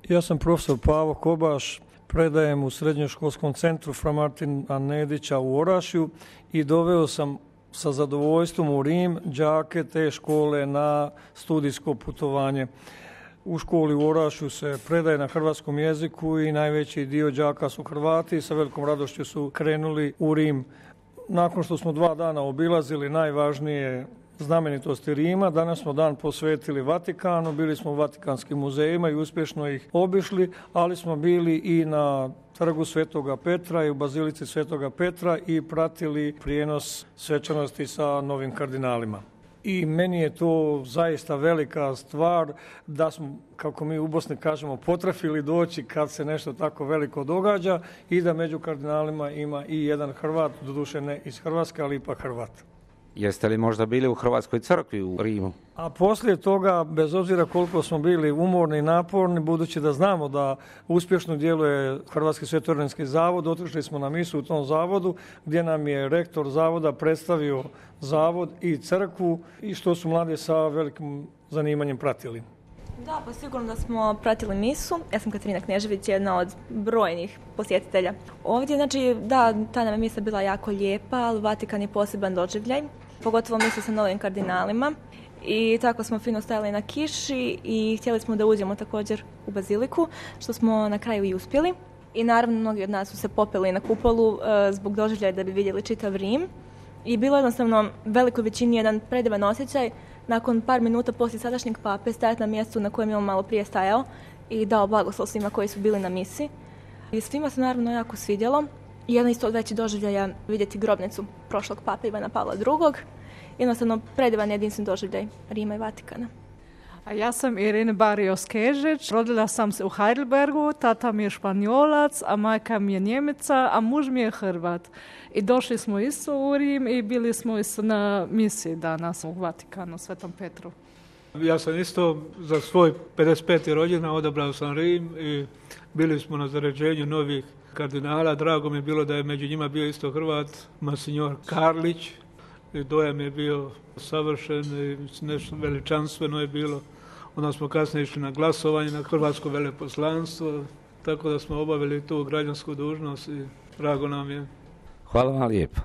Ja sam profesor Pavo Kobaš, predajem u srednjoškolskom centru Fra Martina Nedića u Orašju i doveo sam sa zadovoljstvom u Rim đake te škole na studijsko putovanje. U školi u Orašju se predaje na hrvatskom jeziku i najveći dio đaka su Hrvati i sa velikom radošću su krenuli u Rim. Nakon što smo 2 dana obilazili najvažnije znamenitosti Rima, danas smo dan posvetili Vatikanu, bili smo u Vatikanskim muzejima i uspješno ih obišli, ali smo bili i na trgu Svetoga Petra i u bazilici Svetoga Petra i pratili prijenos svečanosti sa novim kardinalima. I meni je to zaista velika stvar da smo, kako mi u Bosni kažemo, potrafili doći kad se nešto tako veliko događa i da među kardinalima ima i jedan Hrvat, doduše ne iz Hrvatske, ali ipak Hrvat. Jeste li možda bili u Hrvatskoj crkvi u Rimu? A poslije toga, bez obzira koliko smo bili umorni i naporni, budući da znamo da uspješno djeluje Hrvatski sveto-ordenski zavod, otišli smo na misu u tom zavodu gdje nam je rektor zavoda predstavio zavod i crkvu i što su mladi sa velikim zanimanjem pratili. Da, pa sigurno da smo pratili misu. Ja sam Katarina Knežević, jedna od brojnih posjetitelja. Ovdje, znači, da, ta nam je misa bila jako lijepa, ali Vatikan je poseban doživljaj, pogotovo misa sa novim kardinalima. I tako smo fino stajali na kiši i htjeli smo da uđemo također u baziliku, što smo na kraju i uspjeli. I naravno, mnogi od nas su se popeli na kupolu zbog doživljaja da bi vidjeli čitav Rim. I bilo jednostavno velikoj većini jedan predivan osjećaj nakon par minuta poslije sadašnjeg pape stajati na mjestu na kojem je on malo prije stajao i dao blagoslov svima koji su bili na misi. I svima se naravno jako svidjelo. I jedan isto od većih doživljaja vidjeti grobnicu prošlog pape Ivana Pavla II. Jednostavno predivan jedinstven doživljaj Rima i Vatikana. A ja sam Irina Barrios Kežić, rodila sam se u Heidelbergu, tata mi je Španjolac, a majka mi je Njemica, a muž mi je Hrvat. I došli smo isto u Rim i bili smo isto na misiji danas u Vatikanu, Svetom Petru. Ja sam isto za svoj 55. rođendan odabrao sam Rim i bili smo na zaređenju novih kardinala. Drago mi je bilo da je među njima bio isto Hrvat, Monsignor Karlić. I dojam je bio savršen i nešto veličanstveno je bilo. Onda smo kasnije išli na glasovanje na hrvatsko veleposlanstvo, tako da smo obavili tu građansku dužnost i drago nam je. Hvala vam lijepo.